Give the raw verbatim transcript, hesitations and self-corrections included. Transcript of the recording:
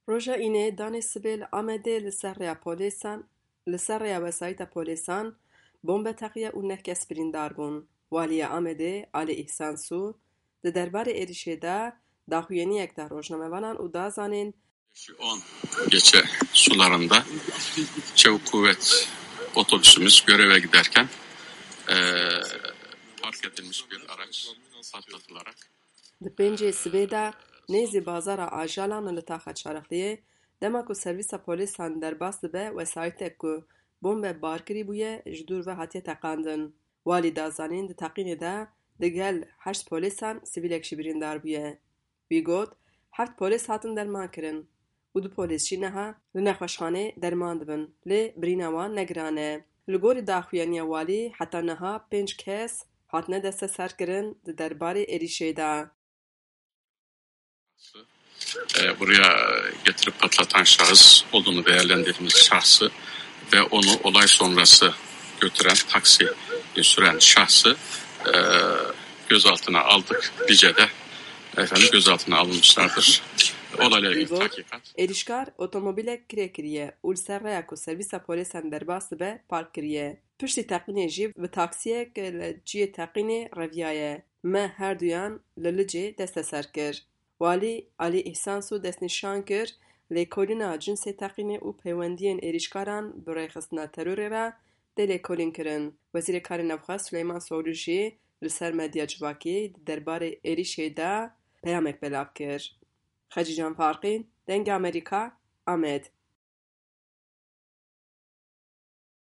Roja Înê danê sibê li Amedê li ser rêya polêsan, li ser rêya wesayîta polêsan bombe teqiye û neh kes birîndar bûn. Waliya Amedê, Alî Îhsan Sû, di derbarê êrîşê de daxuyaniyek da rojnamevanan û da zanîn, Beşi on geçe sularında çevik kuvvet otobüsümüz göreve giderken eee, park edilmiş bir araç patlatılarak Di pêncê sibê de nêzî bazara Ajalan li taxa Çarixliyê, dema ku servîsa polîsan derbas dibe, wesayîtek ku bombe barkirî bûye, ji dûr ve hatiye teqandin. Walî da zanîn, di teqînê de digel heşt polîsan sivîlek jî birîndar bûye. Wî got, heft polîs hatin derman kirin û du polîs jî niha li nexweşxanê derman dibin, lê birîna wan ne giran e. Li gorî daxuyaniya walî, heta niha pênc kes hatine desteserkirin di derbarê êrîşê de. E, buraya getirip patlatan şahıs olduğunu değerlendirdiğimiz şahsı ve onu olay sonrası götüren taksi süren şahsı e, gözaltına aldık. Lice'de efendim gözaltına alınmışlardır. Olayla Wî ilgili got, tahkikat. Êrîşkar otomobîlek kirê kiriye û li ser rêya ku servîsa polîsan derbas dibe park kiriye. Piştî teqînê jî bi taksiyek li cihê teqînê reviyaye. Me her duyan li Licê desteser kir. Walî Alî Îhsan Sû destnîşan kir, lêkolîna cinsê teqînê û peywendiyên êrîşkaran bi rêxistina terorê re tê lêkolîn kirin. Wezîrê Karê Navxwe Suleyman Soylû jî li ser medya civakî di derbarê êrîşê de peyamek belav kir. Xecîcan Farqîn, Dengê Amerîka, Amed.